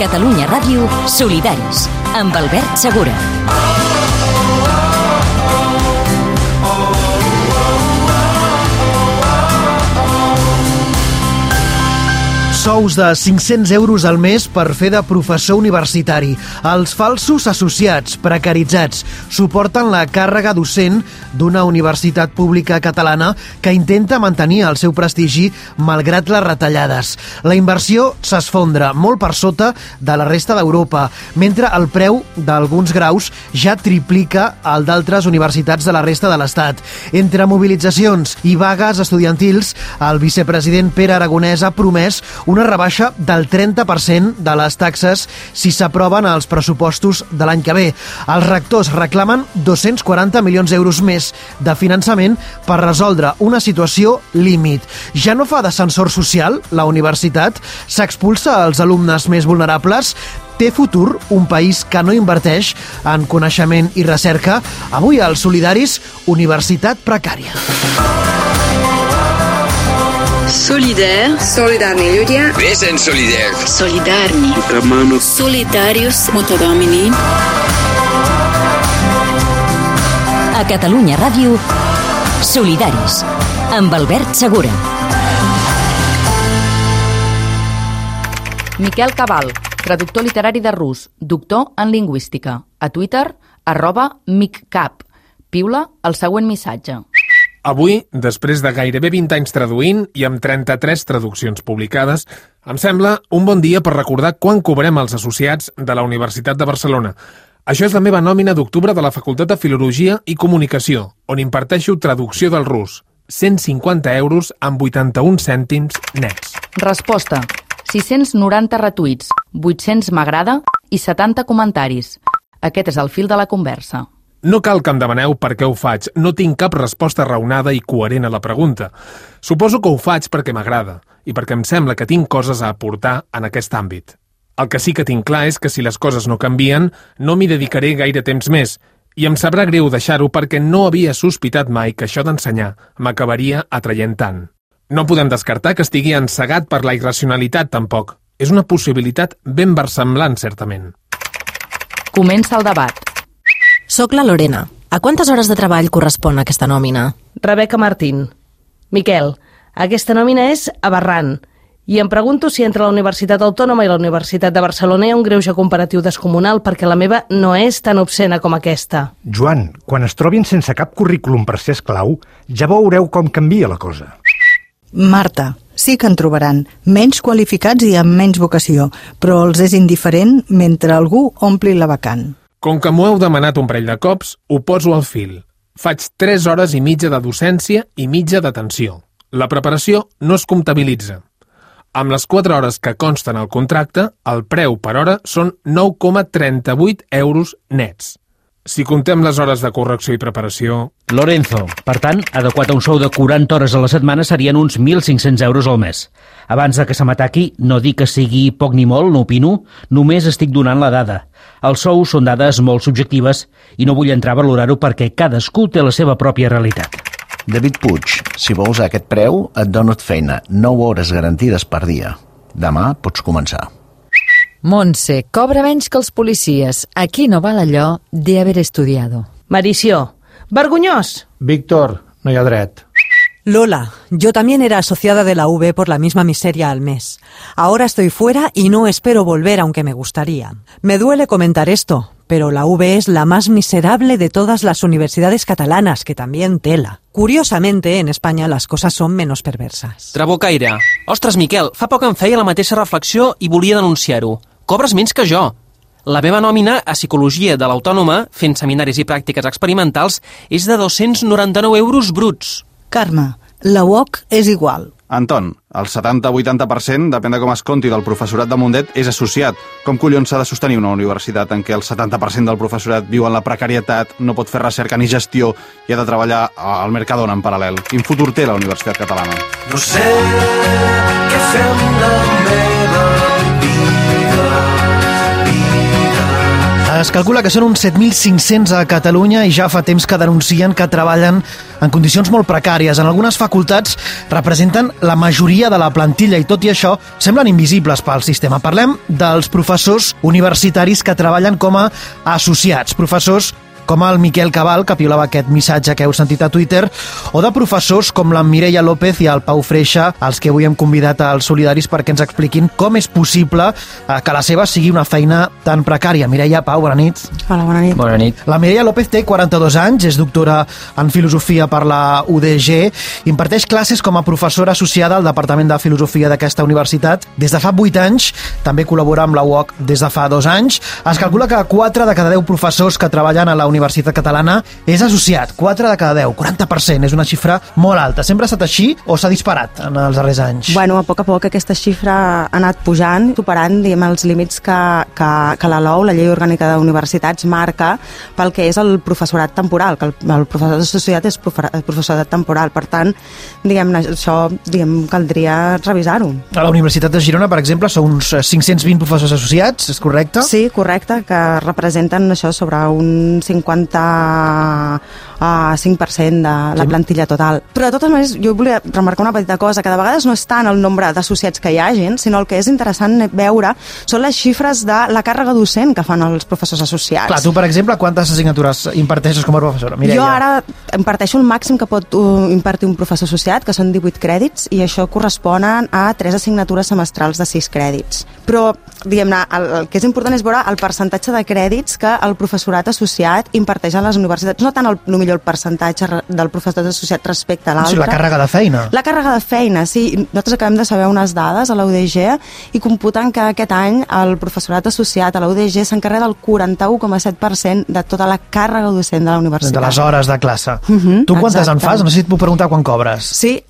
Catalunya Ràdio, Solidaris, amb Albert Segura. Sous de 500 euros al mes per fer de professor universitari. Els falsos associats, precaritzats, suporten la càrrega docent d'una universitat pública catalana que intenta mantenir el seu prestigi malgrat les retallades. La inversió s'esfondra molt per sota de la resta d'Europa, mentre el preu d'alguns graus ja triplica el d'altres universitats de la resta de l'Estat. Entre mobilitzacions i vagues estudiantils, el vicepresident Pere Aragonès ha promès una rebaixa del 30% de les taxes si s'aproven els pressupostos de l'any que ve. Els rectors reclamen 240 milions d'euros més de finançament per resoldre una situació límit. Ja no fa d'ascensor social la universitat? S'expulsa als alumnes més vulnerables? Té futur un país que no inverteix en coneixement i recerca? Avui als Solidaris, universitat precària. Solidaire. Solidarni ľudia. Vesen solidaire. Solidarni. Solidarius Motodomini. A Catalunya Ràdio, Solidaris, amb Albert Segura. Miquel Cabal, traductor literari de rus, doctor en lingüística. A Twitter, @miccap. Piula el següent missatge. Avui, després de gairebé 20 anys traduint i amb 33 traduccions publicades, em sembla un bon dia per recordar quan cobrem els associats de la Universitat de Barcelona. Això és la meva nòmina d'octubre de la Facultat de Filologia i Comunicació, on imparteixo traducció del rus. 150 euros amb 81 cèntims nets. Resposta: 690 retuits, 800 m'agrada i 70 comentaris. Aquest és el fil de la conversa. No cal que em demaneu per què ho faig. No tinc cap resposta raonada i coherent a la pregunta. Suposo que ho faig perquè m'agrada i perquè em sembla que tinc coses a aportar en aquest àmbit. El que sí que tinc clar és que si les coses no canvien, no m'hi dedicaré gaire temps més i em sabrà greu deixar-ho perquè no havia sospitat mai que això d'ensenyar m'acabaria atraient tant. No podem descartar que estigui encegat per la irracionalitat, tampoc. És una possibilitat ben versemblant, certament. Comença el debat. Soc la Lorena. A quantes hores de treball correspon aquesta nòmina? Rebeca Martín. Miquel, aquesta nòmina és aberrant. I em pregunto si entre la Universitat Autònoma i la Universitat de Barcelona hi ha un greuge comparatiu descomunal perquè la meva no és tan obscena com aquesta. Joan, quan es trobin sense cap currículum per ser esclau, ja veureu com canvia la cosa. Marta, sí que en trobaran, menys qualificats i amb menys vocació, però els és indiferent mentre algú ompli la vacant. Com que m'ho heu demanat un parell de cops, ho poso al fil. Faig 3 hores i mitja de docència i mitja d'atenció. La preparació no es comptabilitza. Amb les 4 hores que consten al contracte, el preu per hora són 9,38 euros nets. Si contem les hores de correcció i preparació... Lorenzo, per tant, adequat a un sou de 40 hores a la setmana serien uns 1.500 euros al mes. Abans de que se m'ataqui, no dic que sigui poc ni molt, no opino, només estic donant la dada. Els sous són dades molt subjectives i no vull entrar a valorar-ho perquè cadascú té la seva pròpia realitat. David Puig, si vols a aquest preu, et dono feina, 9 hores garantides per dia. Demà pots començar. Montse, cobra menys que els policies. Aquí no val allò de haber estudiado. Marició, vergonyós. Víctor, no hi ha dret. Lola, yo también era asociada de la UB por la misma miseria al mes. Ahora estoy fuera y no espero volver aunque me gustaría. Me duele comentar esto, pero la UB es la más miserable de todas las universidades catalanas, que también tela. Curiosamente, en España las cosas son menos perversas. Trabucaire. Ostres, Miquel, fa poc em feia la mateixa reflexió i volia denunciar-ho. Cobres menys que jo. La meva nòmina a Psicologia de l'Autònoma, fent seminaris i pràctiques experimentals, és de 299 euros bruts. Carme, la UOC és igual. Anton, el 70-80%, depèn de com es compti, del professorat de Mundet és associat. Com collons s'ha de sostenir una universitat en què el 70% del professorat viu en la precarietat, no pot fer recerca ni gestió i ha de treballar al Mercadona en paral·lel? Quin futur té la Universitat Catalana? No sé què fem la meva Es calcula que són uns 7.500 a Catalunya i ja fa temps que denuncien que treballen en condicions molt precàries. En algunes facultats representen la majoria de la plantilla i, tot i això, semblen invisibles pel sistema. Parlem dels professors universitaris que treballen com a associats, professors com el Miquel Cabal, que piulava aquest missatge que heu sentit a Twitter, o de professors com la Mireia López i el Pau Freixa, els que avui hem convidat als Solidaris perquè ens expliquin com és possible que la seva sigui una feina tan precària. Mireia, Pau, bona nit. Hola, bona nit. Bona nit. La Mireia López té 42 anys, és doctora en Filosofia per la UDG, imparteix classes com a professora associada al Departament de Filosofia d'aquesta universitat. Des de fa 8 anys també col·labora amb la UOC des de fa 2 anys. Es calcula que 4 de cada 10 professors que treballen a la Universitat Catalana és associat. 4 de cada 10, 40%, és una xifra molt alta. Sempre ha estat així o s'ha disparat en els darrers anys? Bueno, a poc aquesta xifra ha anat pujant, superant, diguem, els límits que la LOU, la Llei Orgànica d'Universitats, marca pel que és el professorat temporal, que el professorat associat és professorat temporal. Per tant, diguem, això caldria revisar-ho. A la Universitat de Girona, per exemple, són uns 520 professors associats, és correcte? Sí, correcte, que representen això sobre un 55% de la plantilla total. Però de totes maneres, jo volia remarcar una petita cosa, que de vegades no és tant el nombre d'associats que hi hagin, sinó el que és interessant veure són les xifres de la càrrega docent que fan els professors associats. Clar, tu, per exemple, quantes assignatures imparteixes com a professora? Mireia. Jo ara imparteixo el màxim que pot impartir un professor associat, que són 18 crèdits, i això corresponen a 3 assignatures semestrals de 6 crèdits. Però, diguem-ne, el que és important és veure el percentatge de crèdits que el professorat associat imparteix a les universitats, no tant millor el percentatge del professorat associat respecte a l'altre. Sí, la càrrega de feina. La càrrega de feina, sí. Nosaltres acabem de saber unes dades a la UDG i computen que aquest any el professorat associat a la UDG s'encarrega del 41,7% de tota la càrrega docent de la universitat. De les hores de classe. Tu quantes en fas? No sé si et puc preguntar quan cobres. Sí,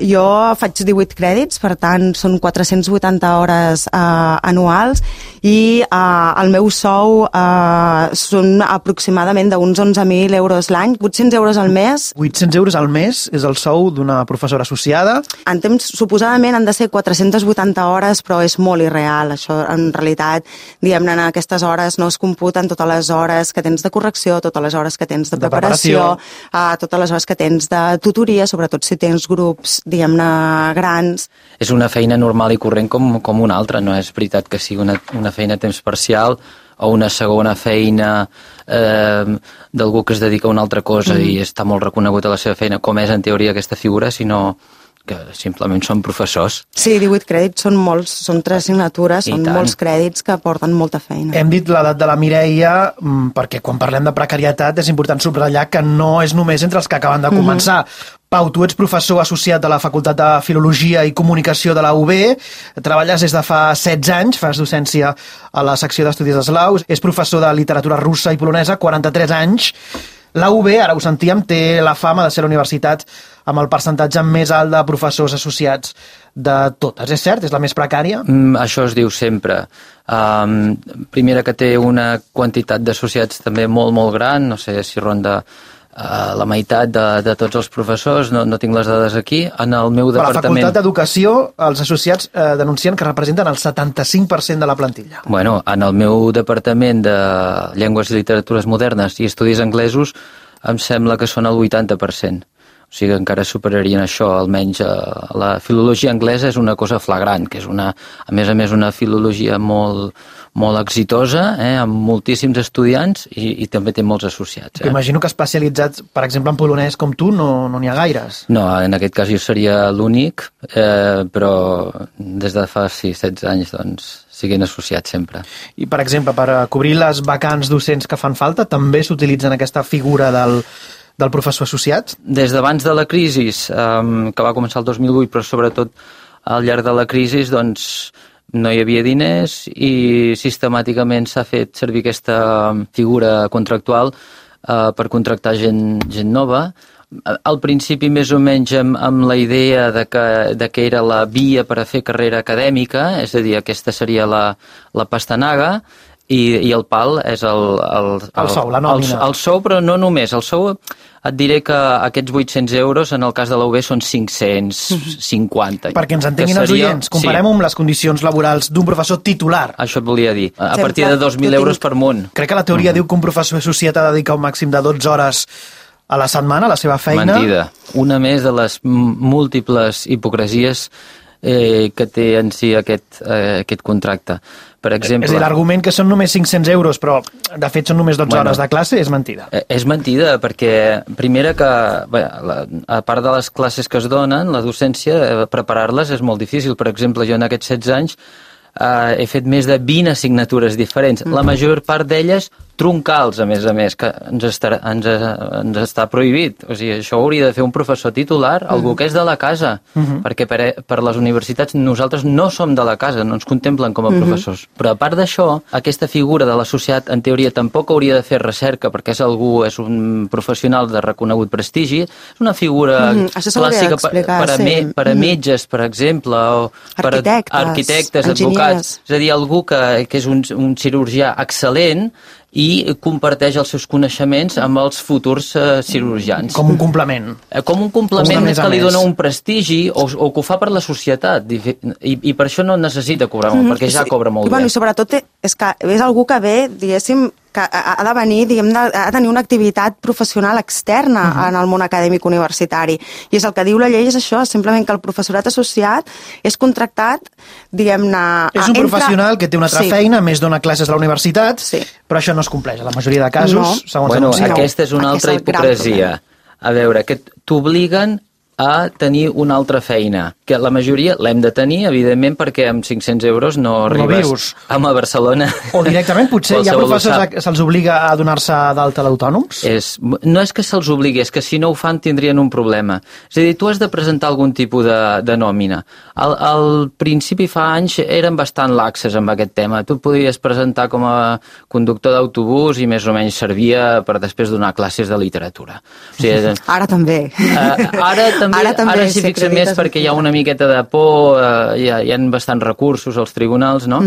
jo faig 18 crèdits, per tant són 480 hores anuals i el meu sou són aproximadament d'uns 11.000 euros l'any, 800 euros al mes. 800 euros al mes és el sou d'una professora associada? En temps, suposadament, han de ser 480 hores, però és molt irreal. Això, en realitat, diguem-ne, en aquestes hores no es computen totes les hores que tens de correcció, totes les hores que tens de preparació, totes les hores que tens de tutoria, sobretot si tens grups, diguem-ne, grans. És una feina normal i corrent com una altra, no és veritat que sigui una feina a temps parcial o una segona feina d'algú que es dedica a una altra cosa i està molt reconegut a la seva feina, com és en teoria aquesta figura, sinó que simplement són professors. Sí, 18 crèdits són molts, són 3 assignatures, són molts crèdits que porten molta feina. Hem dit l'edat de la Mireia perquè quan parlem de precarietat és important subratllar que no és només entre els que acaben de començar. Pau, tu ets professor associat de la Facultat de Filologia i Comunicació de la UB, treballes des de fa 16 anys, fas docència a la secció d'estudis d'eslau, és professor de literatura russa i polonesa, 43 anys. La UB, ara ho sentíem, té la fama de ser la universitat amb el percentatge més alt de professors associats de totes. És cert? És la més precària? Això es diu sempre. Primera, que té una quantitat d'associats també molt, molt gran, no sé si ronda la meitat de tots els professors, no tinc les dades aquí. En el meu departament... A la Facultat d'Educació, els associats denuncien que representen el 75% de la plantilla. Bueno, en el meu departament de Llengües i Literatures Modernes i Estudis Anglesos em sembla que són el 80%. O sigui, encara superarien això, almenys la filologia anglesa és una cosa flagrant, que és a més a més una filologia molt exitosa, amb moltíssims estudiants i també té molts associats. Imagino que especialitzats, per exemple, en polonès com tu, no n'hi ha gaires. No, en aquest cas jo seria l'únic, però des de fa 16 anys doncs siguin associats sempre. I, per exemple, per cobrir les vacants docents que fan falta, també s'utilitzen aquesta figura del professor associat? Des d'abans de la crisi, que va començar el 2008, però sobretot al llarg de la crisi, doncs no hi havia diners i sistemàticament s'ha fet servir aquesta figura contractual per contractar gent nova. Al principi més o menys amb la idea de que era la via per a fer carrera acadèmica, és a dir, aquesta seria la pastanaga, i el pal és el sou, la nòmina. El sou, però no només. El sou, et diré que aquests 800 euros en el cas de la UB són 550. Perquè ens entenguin els oients, comparem-ho amb les condicions laborals d'un professor titular. Això et volia dir, a partir de 2.000 euros per món. Crec que la teoria diu que un professor associat ha de dedicar un màxim de 12 hores a la setmana, a la seva feina. Mentida. Una més de les múltiples hipocresies que té en si aquest contracte. Per exemple... És a dir, l'argument que són només 500 euros, però de fet són només 12 hores de classe, és mentida. És mentida, perquè primera que, a part de les classes que es donen, la docència, preparar-les és molt difícil. Per exemple, jo en aquests 16 anys he fet més de 20 assignatures diferents. La major part d'elles troncals, a més, que ens està prohibit. O sigui, això ho hauria de fer un professor titular, algú que és de la casa, perquè per les universitats nosaltres no som de la casa, no ens contemplen com a professors. Però a part d'això, aquesta figura de l'associat, en teoria, tampoc hauria de fer recerca, perquè és un professional de reconegut prestigi, és una figura clàssica per a metges, per exemple, o per arquitectes, advocats. És a dir, algú que és un cirurgià excel·lent i comparteix els seus coneixements amb els futurs cirurgians. Com un complement. Com un complement que li dona un prestigi o que ho fa per la societat. I per això no necessita cobrar molt, perquè ja cobra molt bé. I sobretot és que és algú que ve, diguéssim, que ha de venir, ha de tenir una activitat professional externa en el món acadèmic universitari. I és el que diu la llei, és això, simplement que el professorat associat és contractat, diguem-ne... És un professional que té una altra feina, més dona classes a la universitat, però això no es compleix. A la majoria de casos, segons anuncia. Aquesta és una altra hipocresia. A veure, que t'obliguen a tenir una altra feina, que la majoria l'hem de tenir, evidentment, perquè amb 500 euros no arribes a Barcelona. O directament, potser hi ha professors que se'ls obliga a donar-se d'alta d'autònoms? No és que se'ls obligui, és que si no ho fan tindrien un problema. És a dir, tu has de presentar algun tipus de nòmina. Al principi, fa anys, eren bastant laxes amb aquest tema. Tu podies presentar com a conductor d'autobús i més o menys servia per després donar classes de literatura. O sigui, ara també. Ara s'hi fixen més perquè hi ha una miqueta de por, hi ha bastants recursos als tribunals, no?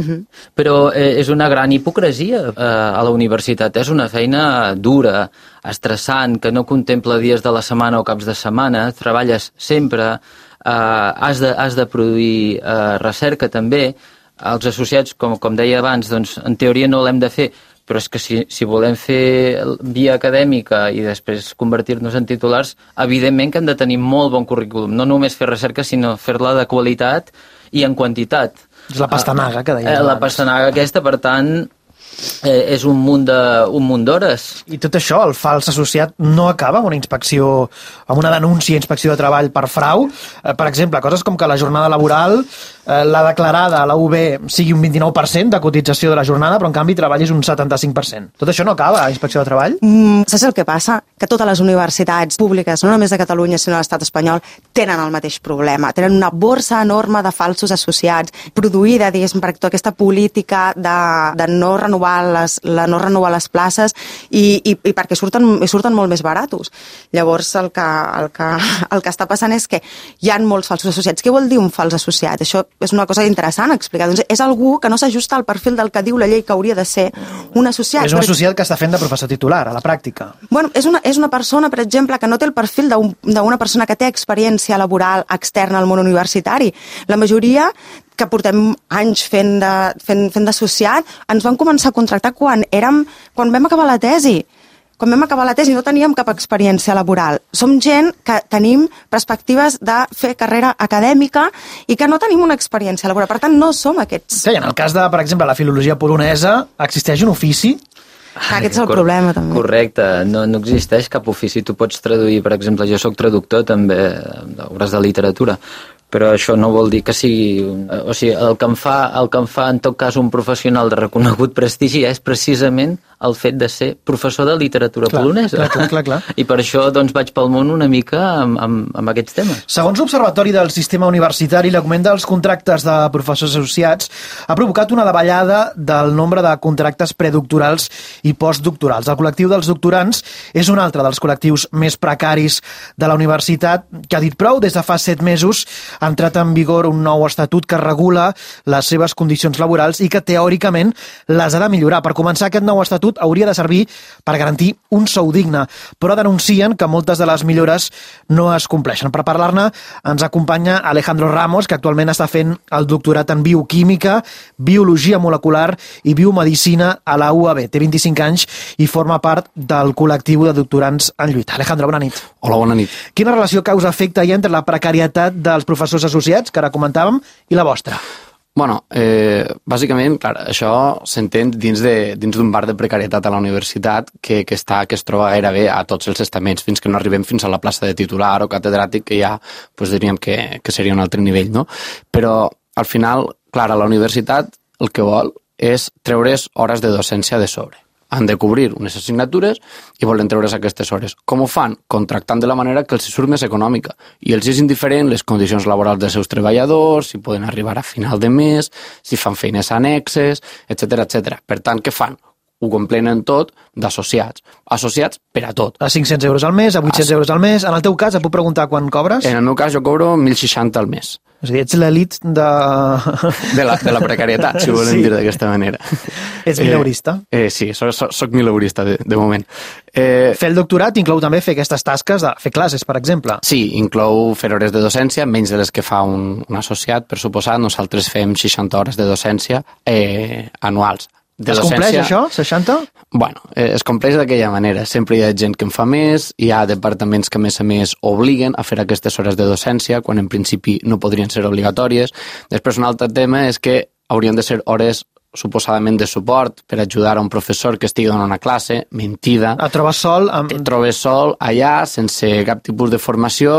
Però és una gran hipocresia a la universitat. És una feina dura, estressant, que no contempla dies de la setmana o caps de setmana, treballes sempre, has de produir recerca també. Els associats, com deia abans, doncs, en teoria no l'hem de fer, però és que si volem fer via acadèmica i després convertir-nos en titulars, evidentment que hem de tenir molt bon currículum. No només fer recerca, sinó fer-la de qualitat i en quantitat. És la pastanaga que deies abans. La pastanaga aquesta, per tant, és un munt d'hores. I tot això, el fals associat, no acaba amb una inspecció, amb una denúncia a inspecció de treball per frau. Per exemple, coses com que la jornada laboral, la declarada a la UB sigui un 29% de cotització de la jornada, però en canvi treballis un 75%. Tot això no acaba a inspecció de treball? Saps el que passa? Que totes les universitats públiques, no només de Catalunya, sinó de l'estat espanyol, tenen el mateix problema. Tenen una borsa enorme de falsos associats, produïda, diguéssim, per aquesta política de no renovar les places i perquè surten molt més baratos. Llavors, el que està passant és que hi ha molts falsos associats. Què vol dir un fals associat? Això és una cosa interessant a explicar. Doncs és algú que no s'ajusta al perfil del que diu la llei que hauria de ser un associat. És un associat que està fent de professor titular, a la pràctica. Bueno, és una persona, per exemple, que no té el perfil d'una persona que té experiència laboral externa al món universitari. La majoria que portem anys fent d'associat, ens van començar a contractar quan vam acabar la tesi. Quan vam acabar la tesi no teníem cap experiència laboral. Som gent que tenim perspectives de fer carrera acadèmica i que no tenim una experiència laboral. Per tant, no som aquests. Sí, en el cas de, per exemple, la filologia polonesa, existeix un ofici? Aquest és el problema, també. Correcte, no existeix cap ofici. Tu pots traduir, per exemple, jo soc traductor també d'obres de literatura, però això no vol dir que sigui... O sigui, el que em fa en tot cas un professional de reconegut prestigi és precisament el fet de ser professor de literatura polonesa. Clar. I per això doncs, vaig pel món una mica amb aquests temes. Segons l'Observatori del Sistema Universitari, l'augment dels contractes de professors associats ha provocat una davallada del nombre de contractes predoctorals i postdoctorals. El col·lectiu dels doctorants és un altre dels col·lectius més precaris de la universitat, que ha dit prou. Des de fa 7 mesos ha entrat en vigor un nou estatut que regula les seves condicions laborals i que teòricament les ha de millorar. Per començar, aquest nou estatut l'Estatut hauria de servir per garantir un sou digne, però denuncien que moltes de les millores no es compleixen. Per parlar-ne ens acompanya Alejandro Ramos, que actualment està fent el doctorat en bioquímica, biologia molecular i biomedicina a la UAB. Té 25 anys i forma part del col·lectiu de doctorants en lluita. Alejandro, bona nit. Hola, bona nit. Quina relació causa-efecte hi ha entre la precarietat dels professors associats, que ara comentàvem, i la vostra? Bueno, bàsicament, clar, això s'entén dins d'un bar de precarietat a la universitat que es troba gairebé a tots els estaments, fins que no arribem fins a la plaça de titular o catedràtic, que ja diríem que seria un altre nivell, no? Però, al final, clar, a la universitat el que vol és treure's hores de docència de sobre. Han de cobrir unes assignatures i volen treure's aquestes hores. Com ho fan? Contractant de la manera que els surt més econòmica. I els és indiferent les condicions laborals dels seus treballadors, si poden arribar a final de mes, si fan feines annexes, etc etc. Per tant, què fan? Ho complenen tot d'associats. Associats per a tot. A 500 euros al mes, a 800 euros al mes. En el teu cas, et puc preguntar quan cobres? En el meu cas, jo cobro 1.060 al mes. És a dir, ets l'elit de... De la precarietat, si volem dir d'aquesta manera. Ets mileurista? Sí, soc mileurista, de moment. Fer el doctorat inclou també fer aquestes tasques de fer classes, per exemple? Sí, inclou fer hores de docència, menys de les que fa un associat, per suposat. Nosaltres fem 60 hores de docència anuals. Es compleix això, 60? Bueno, es compleix d'aquella manera. Sempre hi ha gent que en fa més, hi ha departaments que a més obliguen a fer aquestes hores de docència, quan en principi no podrien ser obligatòries. Després un altre tema és que haurien de ser hores suposadament de suport per ajudar a un professor que estigui donant una classe, mentida. Et trobes sol? Et trobes sol allà, sense cap tipus de formació,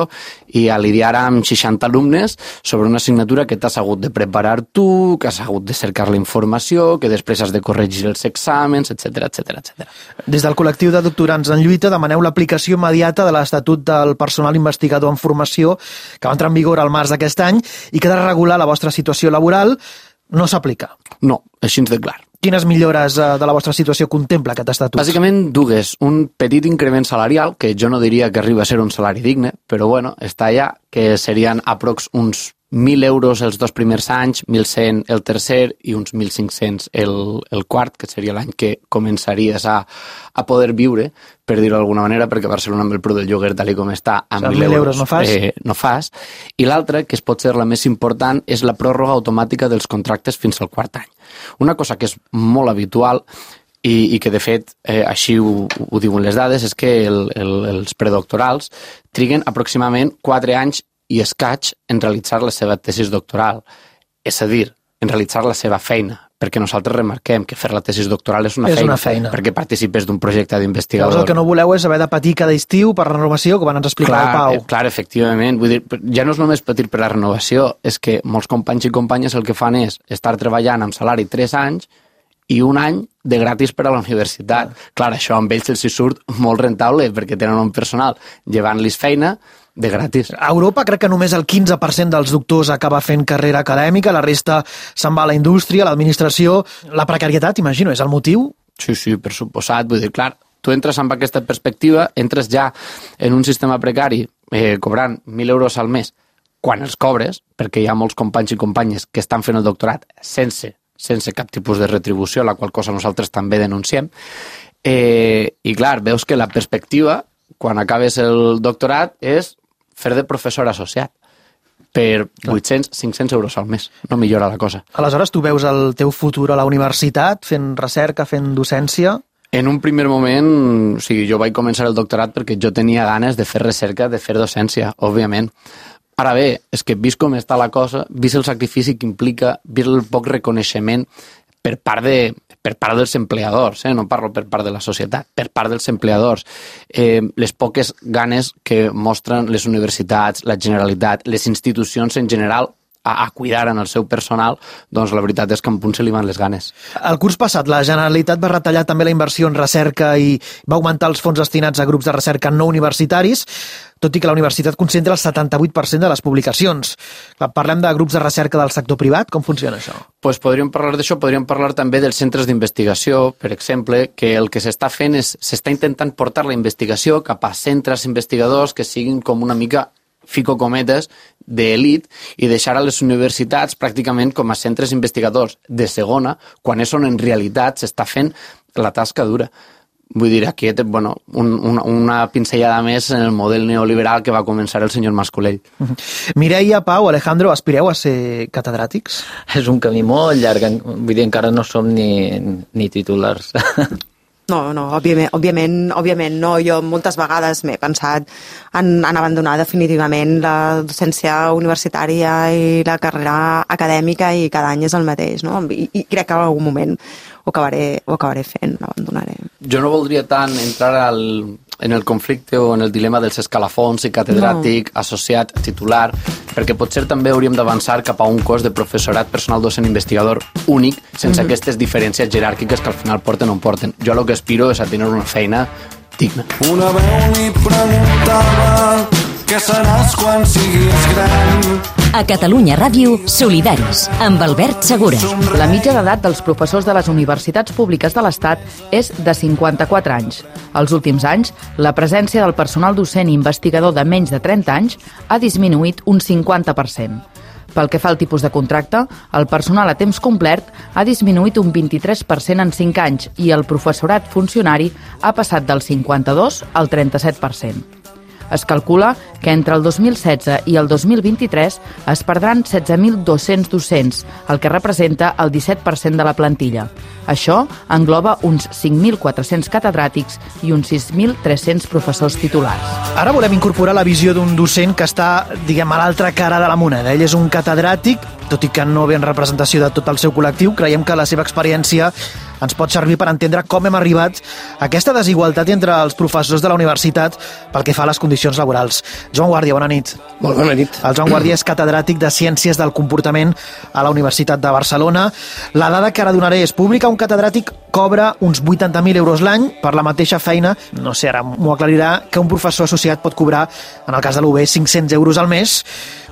i a lidiar amb 60 alumnes sobre una assignatura que t'has hagut de preparar tu, que has hagut de cercar la informació, que després has de corregir els exàmens, etc etc. Des del col·lectiu de doctorants en lluita demaneu l'aplicació immediata de l'Estatut del Personal Investigador en Formació, que va entrar en vigor al març d'aquest any i que ha de regular la vostra situació laboral. No s'aplica? No, així de clar. Quines millores de la vostra situació contempla aquest estatut? Bàsicament dues. Un petit increment salarial, que jo no diria que arriba a ser un salari digne, però bueno, està allà, que serien aprox uns 1.000 euros els 2 primers anys, 1.100 el tercer i uns 1.500 el quart, que seria l'any que començaries a poder viure, per dir-ho d'alguna manera, perquè a Barcelona amb el preu del lloguer tal com està, amb 1.000 euros no fas. I l'altra, que pot ser la més important, és la pròrroga automàtica dels contractes fins al quart any. Una cosa que és molt habitual i que de fet així ho diuen les dades, és que els predoctorals triguen aproximadament 4 anys i escaig en realitzar la seva tesis doctoral. És a dir, en realitzar la seva feina, perquè nosaltres remarquem que fer la tesis doctoral és una feina, perquè participes d'un projecte d'investigador. Llavors el que no voleu és haver de patir cada estiu per renovació, que van ens explicar el Pau. Clar, efectivament. Vull dir, ja no és només patir per la renovació, és que molts companys i companyes el que fan és estar treballant amb salari 3 anys i un any de gratis per a la universitat. Clar, això amb ells els surt molt rentable, perquè tenen un personal llevant-los feina de gratis. A Europa crec que només el 15% dels doctors acaba fent carrera acadèmica, la resta se'n va a la indústria, a l'administració. La precarietat, imagino, és el motiu? Sí, per suposat. Vull dir, clar, tu entres amb aquesta perspectiva, entres ja en un sistema precari cobrant 1.000 euros al mes quan els cobres, perquè hi ha molts companys i companyes que estan fent el doctorat sense cap tipus de retribució, la qual cosa nosaltres també denunciem. I clar, veus que la perspectiva, quan acabes el doctorat, és fer de professor associat per 800-500 euros al mes. No millora la cosa. Aleshores, tu veus el teu futur a la universitat, fent recerca, fent docència? En un primer moment, o sigui, jo vaig començar el doctorat perquè jo tenia ganes de fer recerca, de fer docència, òbviament. Ara bé, és que vist com està la cosa, vist el sacrifici que implica, vist el poc reconeixement per part dels empleadors, no parlo per part de la societat, per part dels empleadors, les poques ganes que mostren les universitats, la Generalitat, les institucions en general a cuidar en el seu personal, doncs la veritat és que en punt se li van les ganes. El curs passat la Generalitat va retallar també la inversió en recerca i va augmentar els fons destinats a grups de recerca no universitaris, tot i que la universitat concentra el 78% de les publicacions. Parlem de grups de recerca del sector privat, com funciona això? Pues podríem parlar d'això, podríem parlar també dels centres d'investigació, per exemple, que el que s'està fent és, s'està intentant portar la investigació cap a centres investigadors que siguin com una mica fico cometes, d'elit, i deixar a les universitats pràcticament com a centres investigadors de segona, quan és on en realitat s'està fent la tasca dura. Vull dir, aquí una pinzellada més en el model neoliberal que va començar el senyor Mascolell. Mireia, Pau, Alejandro, aspireu a ser catedràtics? És un camí molt llarg, vull dir, encara no som ni titulars. No, òbviament no. Jo moltes vegades m'he pensat en abandonar definitivament la docència universitària i la carrera acadèmica i cada any és el mateix, no? I crec que en algun moment ho acabaré fent, l'abandonaré. Jo no voldria tant entrar en el conflicte o en el dilema dels escalafons i catedràtic, associat, titular, perquè potser també hauríem d'avançar cap a un cos de professorat personal docent investigador únic, sense aquestes diferències jeràrquiques que al final porten on porten. Jo el que aspiro és a tenir una feina digna. Una veu li preguntava què seràs quan siguis gran. A Catalunya Ràdio, Solidaris, amb Albert Segura. La mitja d'edat dels professors de les universitats públiques de l'Estat és de 54 anys. Els últims anys, la presència del personal docent i investigador de menys de 30 anys ha disminuït un 50%. Pel que fa al tipus de contracte, el personal a temps complet ha disminuït un 23% en 5 anys i el professorat funcionari ha passat del 52 al 37%. Es calcula que entre el 2016 i el 2023 es perdran 16.200 docents, el que representa el 17% de la plantilla. Això engloba uns 5.400 catedràtics i uns 6.300 professors titulars. Ara volem incorporar la visió d'un docent que està, diguem, a l'altra cara de la moneda. Ell és un catedràtic, tot i que no ve en representació de tot el seu col·lectiu. Creiem que la seva experiència ens pot servir per entendre com hem arribat a aquesta desigualtat entre els professors de la universitat pel que fa a les condicions laborals. Joan Guàrdia, bona nit. Molt bona nit. El Joan Guàrdia és catedràtic de Ciències del Comportament a la Universitat de Barcelona. La dada que ara donaré és pública. Un catedràtic cobra uns 80.000 euros l'any per la mateixa feina. No sé, ara m'ho aclarirà, que un professor associat pot cobrar, en el cas de l'UB, 500 euros al mes.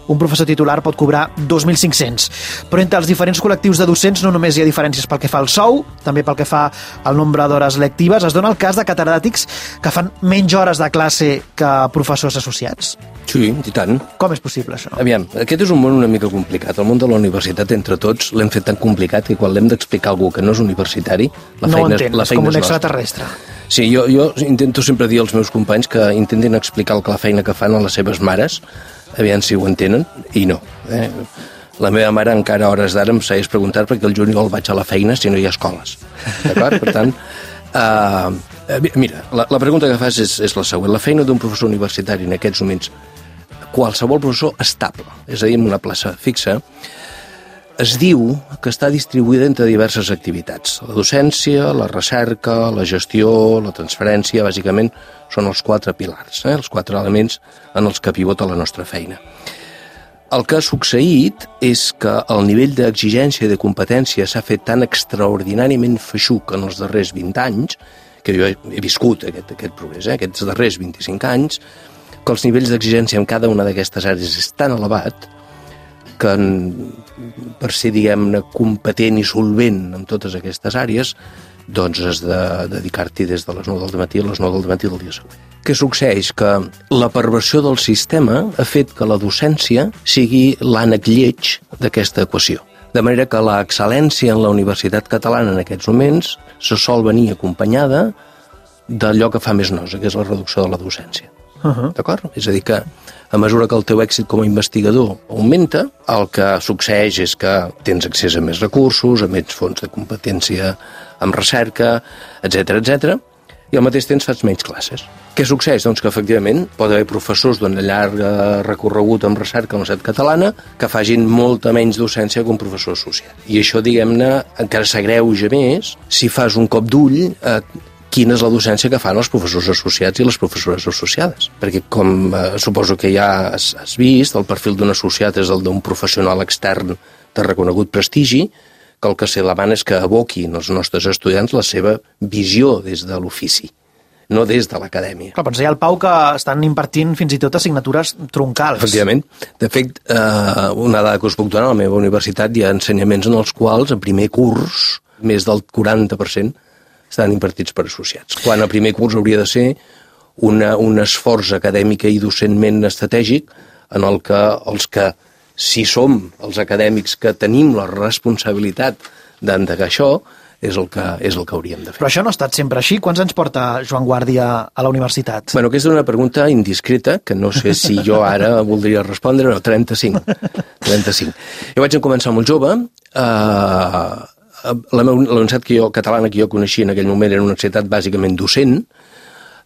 Un professor titular pot cobrar 2.500. Però entre els diferents col·lectius de docents no només hi ha diferències pel que fa al sou, també pel que fa al nombre d'hores lectives. Es dona el cas de catedràtics que fan menys hores de classe que professors associats. Sí, i tant. Com és possible, això? Aviam, aquest és un món una mica complicat. El món de la universitat, entre tots, l'hem fet tan complicat que quan l'hem d'explicar a algú que no és universitari, la feina és com un extraterrestre. Sí, jo intento sempre dir als meus companys que intentin explicar la feina que fan a les seves mares, aviam si ho entenen, i no. La meva mare encara a hores d'ara em segueix preguntar perquè el juliol vaig a la feina si no hi ha escoles. D'acord? Per tant, mira, la pregunta que fas és la següent. La feina d'un professor universitari en aquests moments, qualsevol professor estable, és a dir, amb una plaça fixa, es diu que està distribuïda entre diverses activitats. La docència, la recerca, la gestió, la transferència, bàsicament són els 4 pilars, els 4 elements en els que pivota la nostra feina. El que ha succeït és que el nivell d'exigència i de competència s'ha fet tan extraordinàriament feixuc en els darrers 20 anys, que jo he viscut aquest progrés, aquests darrers 25 anys, que els nivells d'exigència en cada una d'aquestes àrees és tan elevat que per ser, diguem-ne, competent i solvent en totes aquestes àrees, doncs has de dedicar-t'hi des de les 9 del matí a les 9 del matí del dia següent. Què succeeix? Que la perversió del sistema ha fet que la docència sigui l'ànec lleig d'aquesta equació. De manera que l'excel·lència en la universitat catalana en aquests moments se sol venir acompanyada d'allò que fa més nosa, que és la reducció de la docència. D'acord? És a dir, que a mesura que el teu èxit com a investigador augmenta, el que succeeix és que tens accés a més recursos, a més fons de competència amb recerca, etc, i al mateix temps fas menys classes. Què succeeix? Doncs que efectivament pot haver professors d'un llarg recorregut amb recerca a la Universitat Catalana que facin molta menys docència que un professor associat. I això, diguem-ne, encara s'agreuja més si fas un cop d'ull quina és la docència que fan els professors associats i les professores associades. Perquè, com suposo que ja has vist, el perfil d'un associat és el d'un professional extern de reconegut prestigi, que el que se demana és que aboquin els nostres estudiants la seva visió des de l'ofici, no des de l'acadèmia. Clar, doncs hi ha el Pau que estan impartint fins i tot assignatures troncals. Efectivament. De fet, una dada que us puc donar, a la meva universitat hi ha ensenyaments en els quals, a primer curs, més del 40% estan impartits per associats. Quan a primer curs hauria de ser un esforç acadèmic i docentment estratègic en el que els que, si som els acadèmics que tenim la responsabilitat d'endegar això, és el que hauríem de fer. Però això no ha estat sempre així. Quants anys porta Joan Guàrdia a la universitat? Bueno, aquesta és una pregunta indiscreta, que no sé si jo ara voldria respondre, no, 35. Jo vaig començar molt jove, la universitat catalana que jo coneixia en aquell moment era una universitat bàsicament docent,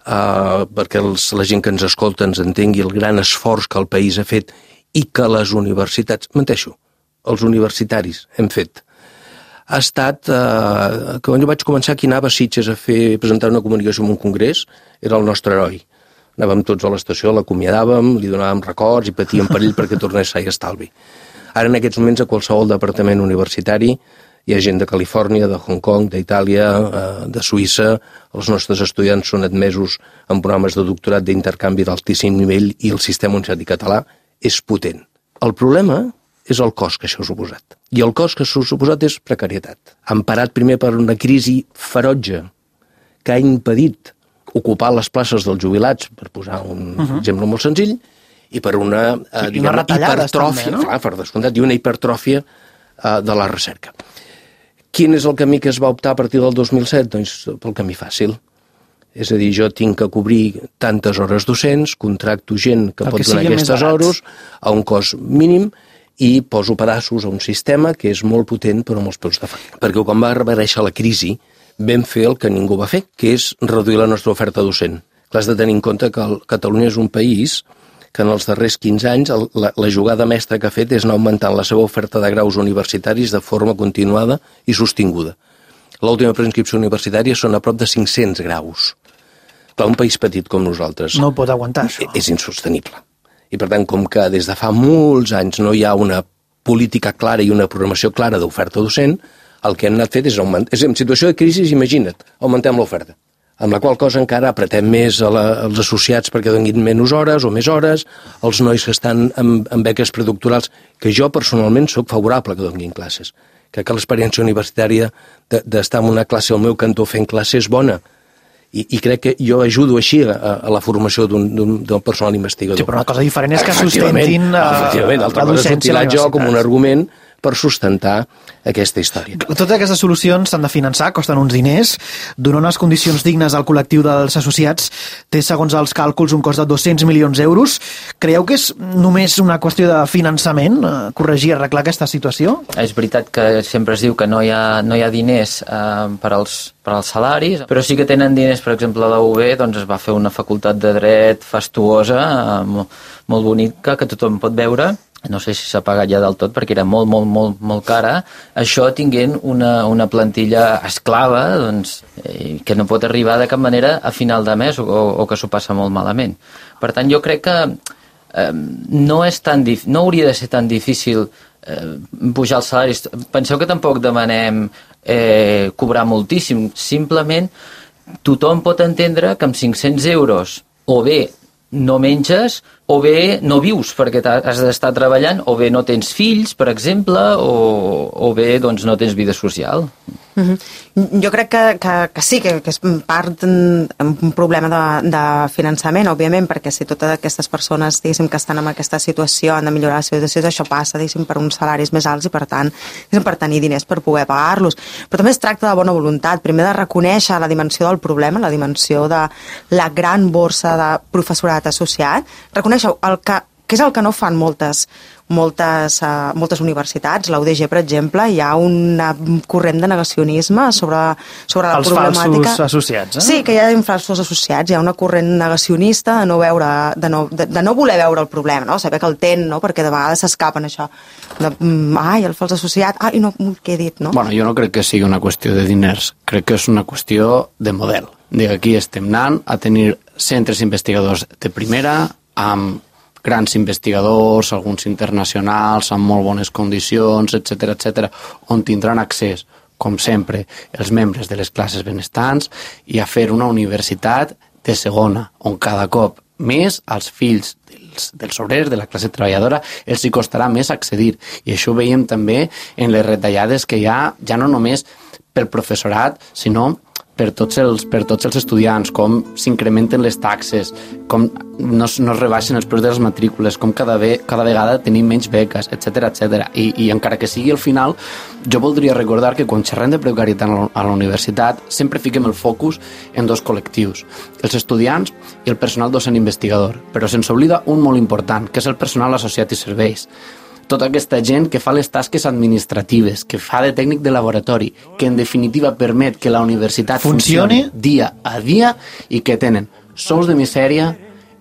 perquè la gent que ens escolta ens entengui el gran esforç que el país ha fet i que les universitats, menteixo, els universitaris hem fet. Ha estat, quan jo vaig començar aquí anava a Sitges a presentar una comunicació en un congrés, era el nostre heroi. Anàvem tots a l'estació, l'acomiadàvem, li donàvem records i patíem per ell perquè tornés sa i estalvi. Ara en aquests moments a qualsevol departament universitari hi ha gent de Califòrnia, de Hong Kong, d'Itàlia, de Suïssa, els nostres estudiants són admesos en programes de doctorat d'intercanvi d'altíssim nivell i el sistema universitari català és potent. El problema és el cost que això ha suposat. I el cost que això ha suposat és precarietat. Emparat primer per una crisi ferotge que ha impedit ocupar les places dels jubilats, per posar un exemple molt senzill, i per una hipertròfia, també, no? Per descomptat, i una hipertròfia de la recerca. Quin és el camí que es va optar a partir del 2007? Doncs pel camí fàcil. És a dir, jo tinc que cobrir tantes hores docents, contracto gent que pot donar aquestes hores a un cost mínim i poso pedaços a un sistema que és molt potent però amb els peus de fang. Perquè quan va aparèixer la crisi vam fer el que ningú va fer, que és reduir la nostra oferta docent. Clar, has de tenir en compte que Catalunya és un país que en els darrers 15 anys la jugada mestra que ha fet és anar augmentant la seva oferta de graus universitaris de forma continuada i sostinguda. L'última preinscripció universitària són a prop de 500 graus. Clar, un país petit com nosaltres no pot aguantar això. És insostenible. I per tant, com que des de fa molts anys no hi ha una política clara i una programació clara d'oferta docent, el que hem anat fet és augmentar. En situació de crisi, imagina't, augmentem l'oferta. Amb la qual cosa encara apretem més els associats perquè donin menys hores o més hores, els nois que estan en beques predoctorals, que jo personalment sóc favorable que donin classes. Crec que l'experiència universitària d'estar en una classe al meu cantó fent classe és bona. I crec que jo ajudo així a la formació d'un personal investigador. Sí, però una cosa diferent és que sustentin la docència. Efectivament, jo com un argument per sustentar aquesta història. Totes aquestes solucions s'han de finançar, costen uns diners, donar unes condicions dignes al col·lectiu dels associats té, segons els càlculs, un cost de 200 milions d'euros. Creieu que és només una qüestió de finançament, corregir, arreglar aquesta situació? És veritat que sempre es diu que no hi ha diners per als salaris, però sí que tenen diners, per exemple, a la UB doncs es va fer una facultat de dret fastuosa, molt bonica, que tothom pot veure. No sé si s'ha pagat ja del tot perquè era molt cara, això tinguent una plantilla esclava doncs, que no pot arribar de cap manera a final de mes o que s'ho passa molt malament. Per tant, jo crec que no hauria de ser tan difícil pujar els salaris. Penseu que tampoc demanem cobrar moltíssim, simplement tothom pot entendre que amb 500 euros o bé no menges, o bé no vius perquè has d'estar treballant, o bé no tens fills, per exemple, o bé doncs, no tens vida social. Jo crec que sí, que és part un problema de finançament, òbviament, perquè si totes aquestes persones que estan en aquesta situació han de millorar la seva situació, això passa per uns salaris més alts i per tant per tenir diners per poder pagar-los. Però també es tracta de bona voluntat, primer de reconèixer la dimensió del problema, la dimensió de la gran borsa de professorat associat, reconèixer què és el que no fan moltes universitats. La UDG, per exemple, hi ha un corrent de negacionisme sobre la problemàtica. Els falsos associats, Sí, que hi ha falsos associats, hi ha una corrent negacionista de no voler veure el problema, no? Saber que el tenen, no? Perquè de vegades s'escapen això. El fals associat, no, què he dit, no? Bueno, jo no crec que sigui una qüestió de diners, crec que és una qüestió de model. Aquí estem anant a tenir centres investigadors de primera, amb grans investigadors, alguns internacionals, amb molt bones condicions, etc., on tindran accés, com sempre, els membres de les classes benestants i a fer una universitat de segona, on cada cop més als fills dels obrers, de la classe treballadora, els hi costarà més accedir. I això ho veiem també en les retallades que hi ha, ja no només pel professorat, sinó per tots els estudiants, com s'incrementen les taxes, com no es rebaixen els preus de les matrícules, com cada vegada tenim menys beques, etc. I encara que sigui al final, jo voldria recordar que quan xerrem de precarietat a la universitat sempre fiquem el focus en dos col·lectius, els estudiants i el personal docent investigador, però se'ns oblida un molt important, que és el personal associat i serveis. Tota aquesta gent que fa les tasques administratives, que fa de tècnic de laboratori, que en definitiva permet que la universitat funcioni dia a dia i que tenen sous de misèria,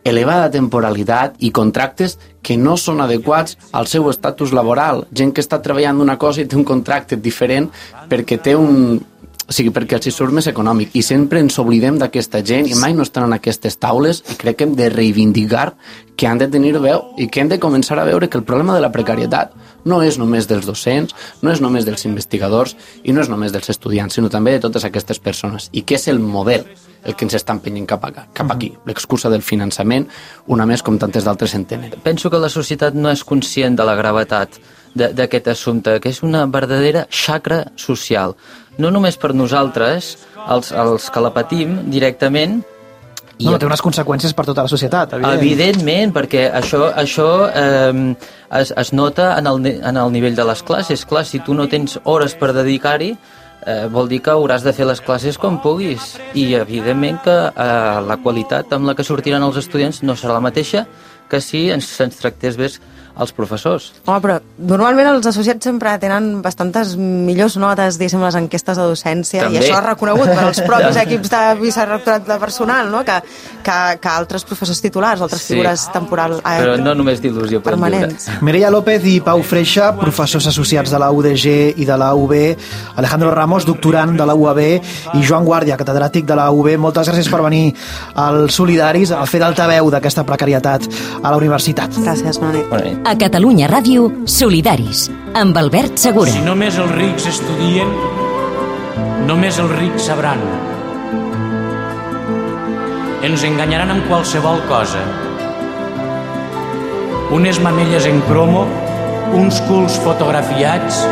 elevada temporalitat i contractes que no són adequats al seu estatus laboral. Gent que està treballant una cosa i té un contracte diferent perquè té perquè els hi surt més econòmic, i sempre ens oblidem d'aquesta gent i mai no estan en aquestes taules, i crec que hem de reivindicar que han de tenir veu i que hem de començar a veure que el problema de la precarietat no és només dels docents, no és només dels investigadors i no és només dels estudiants, sinó també de totes aquestes persones, i que és el model el que ens està empenyent cap aquí. L'excusa del finançament, una més com tantes d'altres en tenen. Penso que la societat no és conscient de la gravetat d'aquest assumpte, que és una verdadera xacra social. No només per nosaltres, els que la patim directament. No, té unes conseqüències per tota la societat, Evidentment, perquè això es nota en el nivell de les classes. Clar, si tu no tens hores per dedicar-hi, vol dir que hauràs de fer les classes com puguis. I evidentment que la qualitat amb la que sortiran els estudiants no serà la mateixa que si se'ns tractés bé els professors. Home, però normalment els associats sempre tenen bastantes millors notes, diguéssim, les enquestes de docència, també. I això és reconegut per als propis equips de vicerectorat de personal, no? que altres professors titulars, altres figures temporals. Però no només d'il·lusió permanents. Mireia López i Pau Freixa, professors associats de la UDG i de la UB, Alejandro Ramos, doctorant de la UAB, i Joan Guàrdia, catedràtic de la UB. Moltes gràcies per venir als Solidaris a fer d'altaveu d'aquesta precarietat a la universitat. Gràcies, bona nit. A Catalunya Ràdio, Solidaris, amb Albert Segura. Si només els rics estudien, només els rics sabran. Ens enganyaran amb qualsevol cosa. Unes mamelles en cromo, uns culs fotografiats,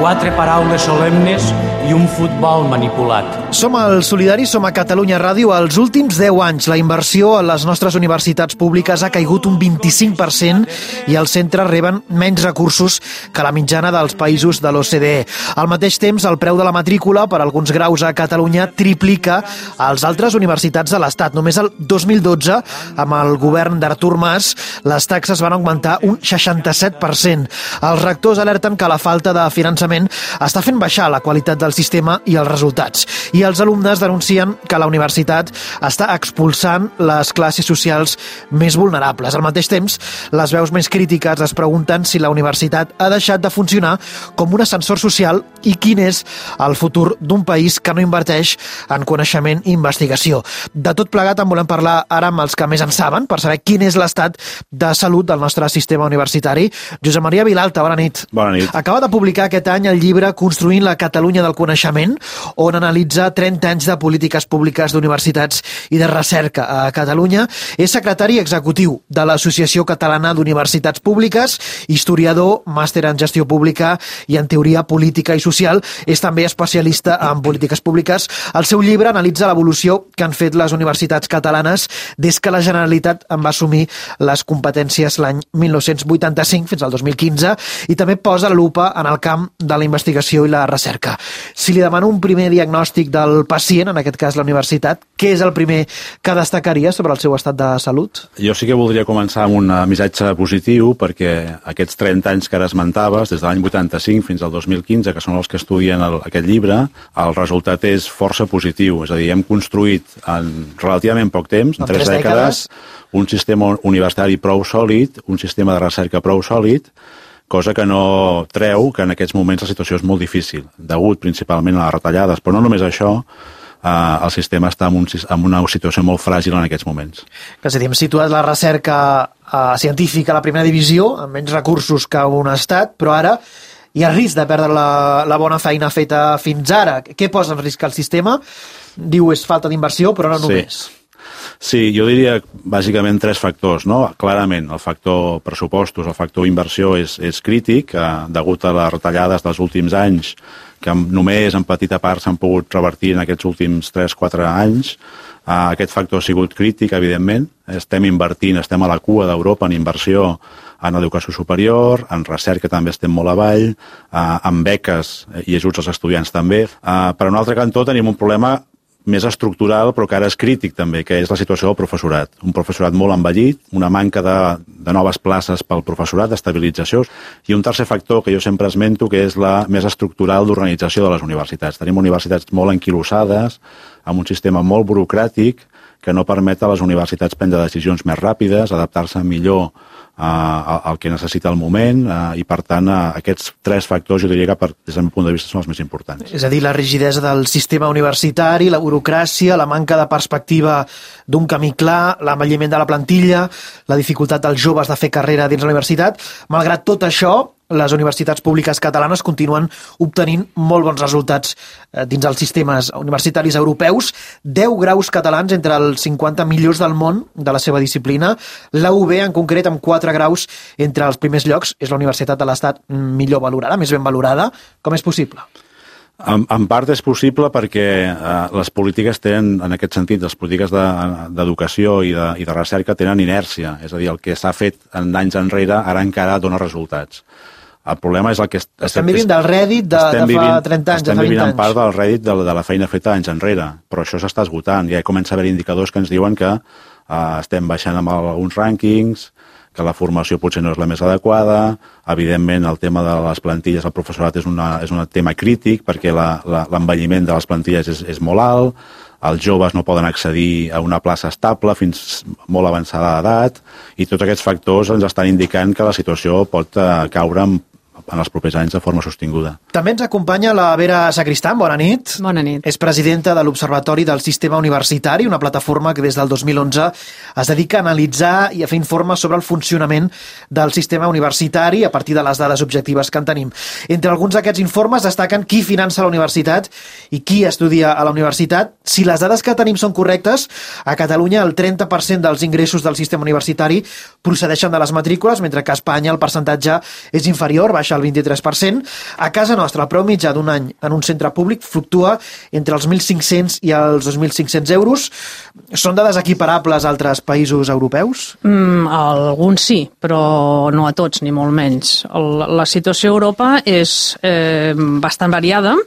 4 paraules solemnes i un futbol manipulat. Som als Solidaris, som a Catalunya Ràdio. Els últims 10 anys la inversió a les nostres universitats públiques ha caigut un 25% i els centres reben menys recursos que la mitjana dels països de l'OCDE. Al mateix temps, el preu de la matrícula per alguns graus a Catalunya triplica als altres universitats de l'Estat. Només el 2012, amb el govern d'Artur Mas, les taxes van augmentar un 67%. Els rectors alerten que la falta de finançament està fent baixar la qualitat del sistema i els resultats. I els alumnes denuncien que la universitat està expulsant les classes socials més vulnerables. Al mateix temps, les veus més crítiques es pregunten si la universitat ha deixat de funcionar com un ascensor social i quin és el futur d'un país que no inverteix en coneixement i investigació. De tot plegat en volem parlar ara amb els que més en saben per saber quin és l'estat de salut del nostre sistema universitari. Josep Maria Vilalta, bona nit. Bona nit. Acaba de publicar aquest any el llibre Construint la Catalunya del Coneixement, on analitza 30 anys de polítiques públiques d'universitats i de recerca a Catalunya. És secretari executiu de l'Associació Catalana d'Universitats Públiques, historiador, màster en gestió pública i en teoria política i social. És també especialista en polítiques públiques. El seu llibre analitza l'evolució que han fet les universitats catalanes des que la Generalitat en va assumir les competències l'any 1985 fins al 2015 i també posa la lupa en el camp de la investigació i la recerca. Si li demano un primer diagnòstic del pacient, en aquest cas la universitat, què és el primer que destacaria sobre el seu estat de salut? Jo sí que voldria començar amb un missatge positiu, perquè aquests 30 anys que ara esmentaves, des de l'any 85 fins al 2015, que són els que estudien aquest llibre, el resultat és força positiu. És a dir, hem construït en relativament poc temps, en 3 dècades, un sistema universitari prou sòlid, un sistema de recerca prou sòlid, cosa que no treu que en aquests moments la situació és molt difícil, degut principalment a les retallades, però no només això, el sistema està en una situació molt fràgil en aquests moments. És a dir, hem situat la recerca científica a la primera divisió, amb menys recursos que un estat, però ara hi ha risc de perdre la bona feina feta fins ara. Què posa en risc el sistema? Diu és falta d'inversió, però no només. Sí, jo diria bàsicament 3 factors, no? Clarament, el factor pressupostos, el factor inversió és crític, degut a les retallades dels últims anys, que només en petita part s'han pogut revertir en aquests últims 3-4 anys. Aquest factor ha sigut crític, evidentment. Estem invertint, estem a la cua d'Europa en inversió en educació superior, en recerca també estem molt avall, en beques i ajuts als estudiants també. Per un altre cantó tenim un problema més estructural, però que ara és crític també, que és la situació del professorat. Un professorat molt envellit, una manca de noves places pel professorat, d'estabilització, i un tercer factor que jo sempre esmento, que és la més estructural d'organització de les universitats. Tenim universitats molt enquilossades, amb un sistema molt burocràtic, que no permet a les universitats prendre decisions més ràpides, adaptar-se millor al que necessita el moment, i per tant aquests 3 factors jo diria que des del meu punt de vista són els més importants. És a dir, la rigidesa del sistema universitari, la burocràcia, la manca de perspectiva d'un camí clar, l'envelliment de la plantilla, la dificultat dels joves de fer carrera dins la universitat. Malgrat tot això, les universitats públiques catalanes continuen obtenint molt bons resultats dins dels sistemes universitaris europeus. 10 graus catalans entre els 50 millors del món de la seva disciplina. La UB, en concret, amb 4 graus entre els primers llocs, és la universitat de l'Estat millor valorada, més ben valorada. Com és possible? En part és possible perquè les polítiques tenen, en aquest sentit, les polítiques d'educació i de recerca tenen inèrcia. És a dir, el que s'ha fet en anys enrere ara encara dona resultats. El problema és el que... Estem vivint del rèdit de fa 30 anys, de fa 20 anys. Estem vivint en part del rèdit de la feina feta anys enrere, però això s'està esgotant. Ja comença a haver indicadors que ens diuen que estem baixant amb alguns rànquings, que la formació potser no és la més adequada. Evidentment, el tema de les plantilles al professorat és un tema crític perquè l'envelliment de les plantilles és molt alt, els joves no poden accedir a una plaça estable fins molt avançada d'edat, i tots aquests factors ens estan indicant que la situació pot caure en els propers anys de forma sostinguda. També ens acompanya la Vera Sacristán. Bona nit. Bona nit. És presidenta de l'Observatori del Sistema Universitari, una plataforma que des del 2011 es dedica a analitzar i a fer informes sobre el funcionament del sistema universitari a partir de les dades objectives que en tenim. Entre alguns d'aquests informes destaquen qui finança la universitat i qui estudia a la universitat. Si les dades que tenim són correctes, a Catalunya el 30% dels ingressos del sistema universitari procedeixen de les matrícules, mentre que a Espanya el percentatge és inferior, baixa el 23%. A casa nostra, el preu mitjà d'un any en un centre públic fluctua entre els 1.500 i els 2.500 euros. Són dades equiparables a altres països europeus? Alguns sí, però no a tots, ni molt menys. La situació a Europa és bastant variada.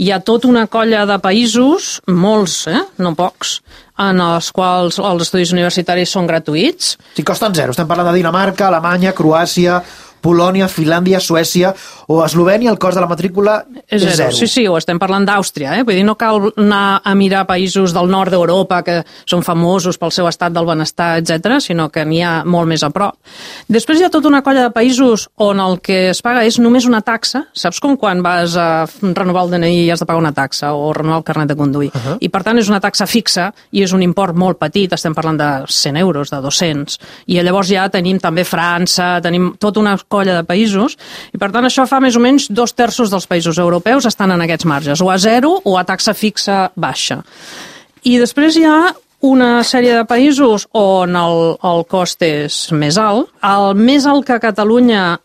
Hi ha tota una colla de països, molts, no pocs, en els quals els estudis universitaris són gratuïts. Sí, costen zero. Estem parlant de Dinamarca, Alemanya, Croàcia, Polònia, Finlàndia, Suècia o Eslovènia, el cost de la matrícula és zero. Sí, o estem parlant d'Àustria. Vull dir, no cal anar a mirar països del nord d'Europa que són famosos pel seu estat del benestar, etc., sinó que n'hi ha molt més a prop. Després hi ha tota una colla de països on el que es paga és només una taxa. Saps com quan vas a renovar el DNI i has de pagar una taxa o renovar el carnet de conduir? I per tant és una taxa fixa i és un import molt petit, estem parlant de 100 euros, de 200. I llavors ja tenim també França, tenim tota una colla de països, i per tant això fa més o menys 2/3 dels països europeus estan en aquests marges, o a zero o a taxa fixa baixa. I després hi ha una sèrie de països on el cost és més alt. El més alt que a Catalunya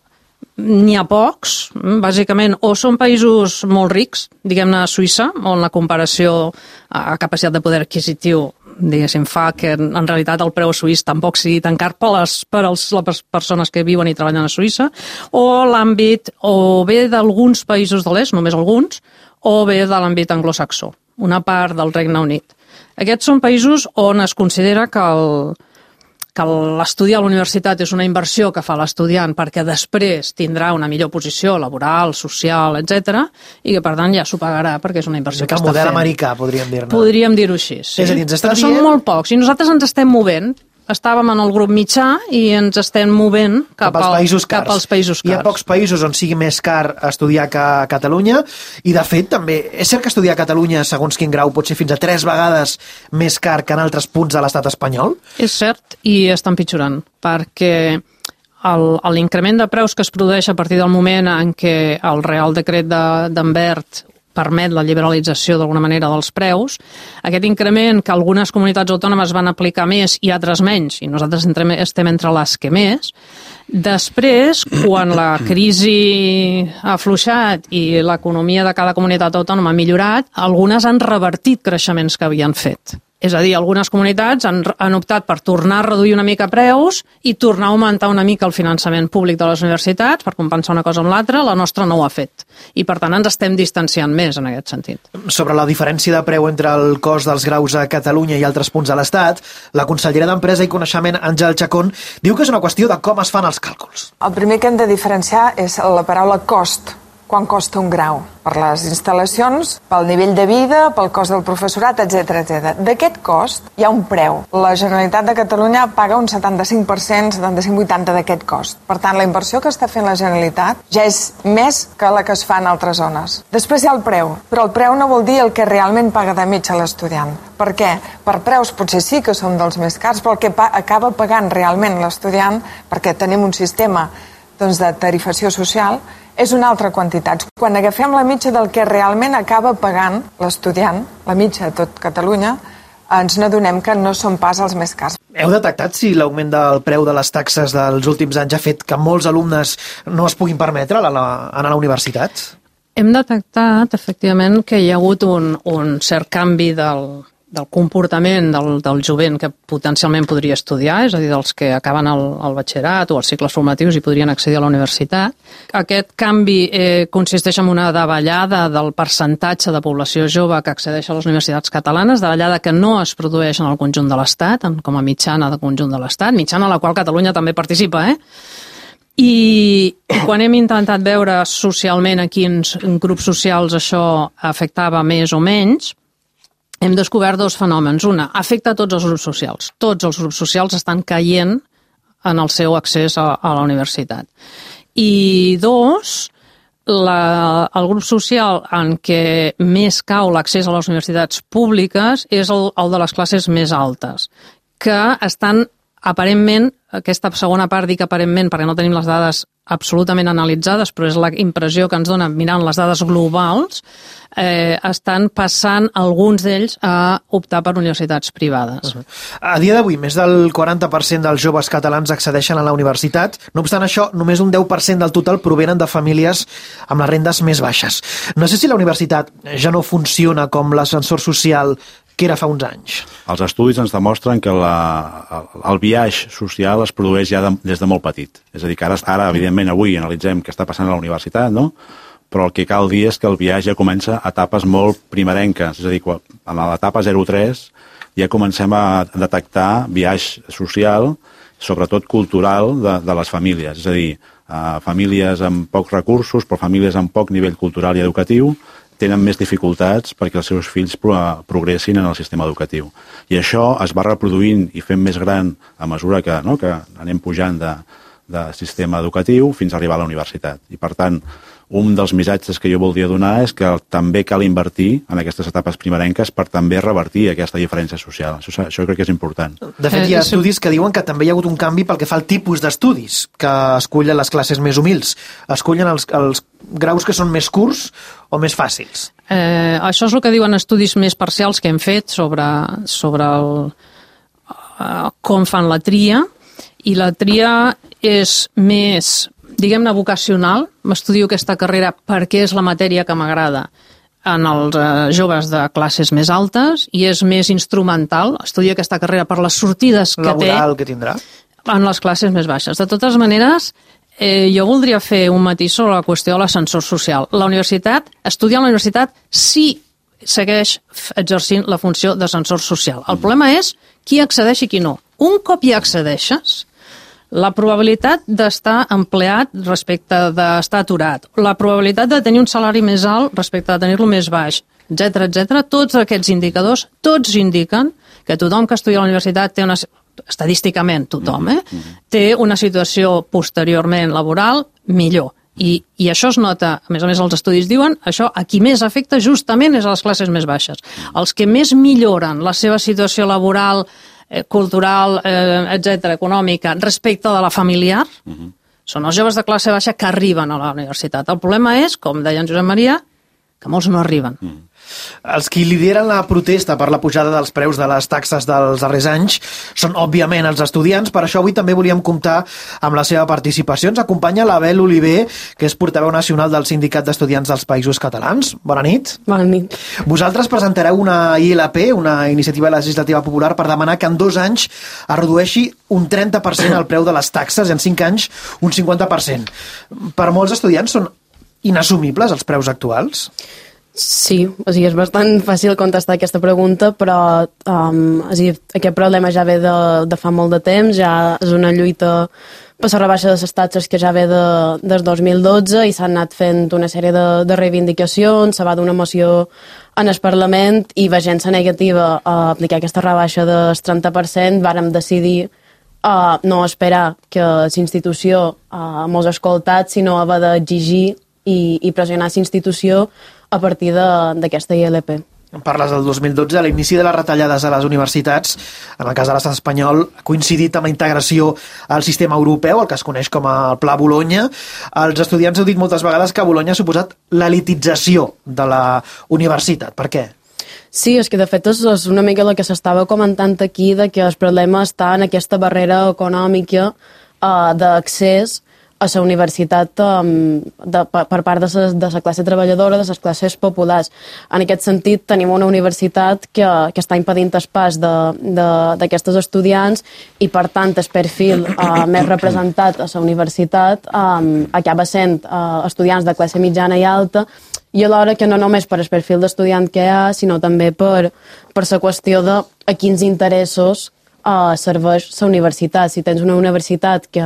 n'hi ha pocs, bàsicament, o són països molt rics, diguem-ne Suïssa, on la comparació a capacitat de poder adquisitiu diguéssim, fa que en realitat el preu suís tampoc sigui tan car per les persones que viuen i treballen a Suïssa, o l'àmbit o bé d'alguns països de l'est, només alguns, o bé de l'àmbit anglosaxó, una part del Regne Unit. Aquests són països on es considera que l'estudi a la universitat és una inversió que fa l'estudiant perquè després tindrà una millor posició laboral, social, etc. i que per tant ja s'ho pagarà perquè és una inversió que està fent. El model americà, podríem dir-ne. Podríem dir-ho així, sí. És a dir, ens està però són molt pocs i nosaltres ens estem movent. Estàvem en el grup mitjà i ens estem movent cap als països cars. Hi ha pocs països on sigui més car estudiar que a Catalunya i, de fet, també és cert que estudiar a Catalunya, segons quin grau, pot ser fins a 3 vegades més car que en altres punts de l'estat espanyol? És cert, i està empitjorant, perquè l'increment de preus que es produeix a partir del moment en què el Real Decret d'Anvert permet la liberalització d'alguna manera dels preus, aquest increment que algunes comunitats autònomes van aplicar més i altres menys, i nosaltres estem entre les que més, després, quan la crisi ha afluixat i l'economia de cada comunitat autònoma ha millorat, algunes han revertit creixements que havien fet. És a dir, algunes comunitats han optat per tornar a reduir una mica preus i tornar a augmentar una mica el finançament públic de les universitats per compensar una cosa amb l'altra. La nostra no ho ha fet. I, per tant, ens estem distanciant més en aquest sentit. Sobre la diferència de preu entre el cost dels graus a Catalunya i altres punts de l'Estat, la consellera d'Empresa i Coneixement, Àngel Chacón, diu que és una qüestió de com es fan els càlculs. El primer que hem de diferenciar és la paraula cost. Quan costa un grau? Per les instal·lacions, pel nivell de vida, pel cost del professorat, etc. D'aquest cost hi ha un preu. La Generalitat de Catalunya paga un 75%, 75-80% d'aquest cost. Per tant, la inversió que està fent la Generalitat ja és més que la que es fa en altres zones. Després hi ha el preu, però el preu no vol dir el que realment paga de mitja l'estudiant. Per què? Per preus potser sí que són dels més cars, però el que acaba pagant realment l'estudiant, perquè tenim un sistema de tarifació social, és una altra quantitat. Quan agafem la mitja del que realment acaba pagant l'estudiant, la mitja de tot Catalunya, ens n'adonem que no són pas els més cars. Heu detectat si l'augment del preu de les taxes dels últims anys ha fet que molts alumnes no es puguin permetre anar a la universitat? Hem detectat, efectivament, que hi ha hagut un cert canvi del comportament del jovent que potencialment podria estudiar, és a dir, dels que acaben el batxillerat o els cicles formatius i podrien accedir a la universitat. Aquest canvi consisteix en una davallada del percentatge de població jove que accedeix a les universitats catalanes, davallada que no es produeix en el conjunt de l'Estat, com a mitjana de conjunt de l'Estat, mitjana a la qual Catalunya també participa, I quan hem intentat veure socialment a quins grups socials això afectava més o menys, hem descobert dos fenòmens. Una, afecta a tots els grups socials. Tots els grups socials estan caient en el seu accés a la universitat. I dos, el grup social en què més cau l'accés a les universitats públiques és el de les classes més altes, que estan aparentment, aquesta segona part dic aparentment perquè no tenim les dades absolutament analitzades, però és la impressió que ens dona mirant les dades globals, estan passant alguns d'ells a optar per universitats privades. A dia d'avui, més del 40% dels joves catalans accedeixen a la universitat. No obstant això, només un 10% del total provenen de famílies amb les rendes més baixes. No sé si la universitat ja no funciona com l'ascensor social que era fa uns anys. Els estudis ens demostren que el biaix social es produeix ja des de molt petit. És a dir, que ara evidentment, avui analitzem què està passant a la universitat, no? Però el que cal dir és que el biaix ja comença a etapes molt primerenques. És a dir, en l'etapa 0-3 ja comencem a detectar biaix social, sobretot cultural, de les famílies. És a dir, famílies amb pocs recursos, però famílies amb poc nivell cultural i educatiu, tenen més dificultats perquè els seus fills progressin en el sistema educatiu. I això es va reproduint i fent més gran a mesura que anem pujant de sistema educatiu fins a arribar a la universitat. I, per tant, un dels missatges que jo voldria donar és que també cal invertir en aquestes etapes primerenques per també revertir aquesta diferència social. Això crec que és important. De fet, hi ha estudis que diuen que també hi ha hagut un canvi pel que fa al tipus d'estudis que escullen les classes més humils. Escullen els graus que són més curts o més fàcils. Això és el que diuen estudis més parcials que hem fet sobre com fan la tria, i la tria és més, diguem-ne, vocacional. M'estudio aquesta carrera perquè és la matèria que m'agrada en els joves de classes més altes, i és més instrumental. Estudio aquesta carrera per les sortides que té laboral que tindrà en les classes més baixes. De totes maneres, jo voldria fer un matís sobre la qüestió de l'ascensor social. Estudiar a la universitat sí segueix exercint la funció d'ascensor social. El problema és qui accedeix i qui no. Un cop hi accedeixes, la probabilitat d'estar empleat respecte d'estar aturat, la probabilitat de tenir un salari més alt respecte de tenir-lo més baix, etc., tots aquests indicadors, tots indiquen que tothom que estudia a la universitat té estadísticament tothom, té una situació posteriorment laboral millor. I això es nota, a més els estudis diuen, això a qui més afecta justament és a les classes més baixes. Els que més milloren la seva situació laboral, cultural, etc., econòmica, respecte de la familiar, són els joves de classe baixa que arriben a la universitat. El problema és, com deia en Josep Maria, que molts no arriben. Els qui lideren la protesta per la pujada dels preus de les taxes dels darrers anys són, òbviament, els estudiants. Per això avui també volíem comptar amb la seva participació. Ens acompanya l'Abel Oliver, que és portaveu nacional del Sindicat d'Estudiants dels Països Catalans. Bona nit. Bona nit. Vosaltres presentareu una ILP, una iniciativa legislativa popular, per demanar que en 2 anys es redueixi un 30% el preu de les taxes i en 5 anys un 50%. Per molts estudiants són inassumibles els preus actuals? Sí, o sigui, és bastant fàcil contestar aquesta pregunta, però aquest problema ja ve de fa molt de temps, ja és una lluita per la rebaixa de les taxes que ja ve des 2012 i s'han anat fent una sèrie de reivindicacions, se va donar una moció en el Parlament i veient-se negativa a aplicar aquesta rebaixa del 30%, vàrem decidir no esperar que la institució mos escoltat, sinó haver d'exigir i pressionar la institució a partir d'aquesta ILP. Parles del 2012, a l'inici de les retallades a les universitats, en el cas de l'estat espanyol, ha coincidit amb la integració al sistema europeu, el que es coneix com el Pla Bologna. Els estudiants heu dit moltes vegades que Bologna ha suposat l'elitització de la universitat. Per què? Sí, és que de fet és una mica el que s'estava comentant aquí, de que el problema està en aquesta barrera econòmica d'accés a la universitat per part de la classe treballadora, de les classes populars. En aquest sentit, tenim una universitat que està impedint el pas d'aquestes estudiants i, per tant, el perfil més representat a la universitat acaba sent estudiants de classe mitjana i alta, i alhora que no només per el perfil d'estudiant que hi ha, sinó també per la qüestió de a quins interessos serveix la universitat. Si tens una universitat que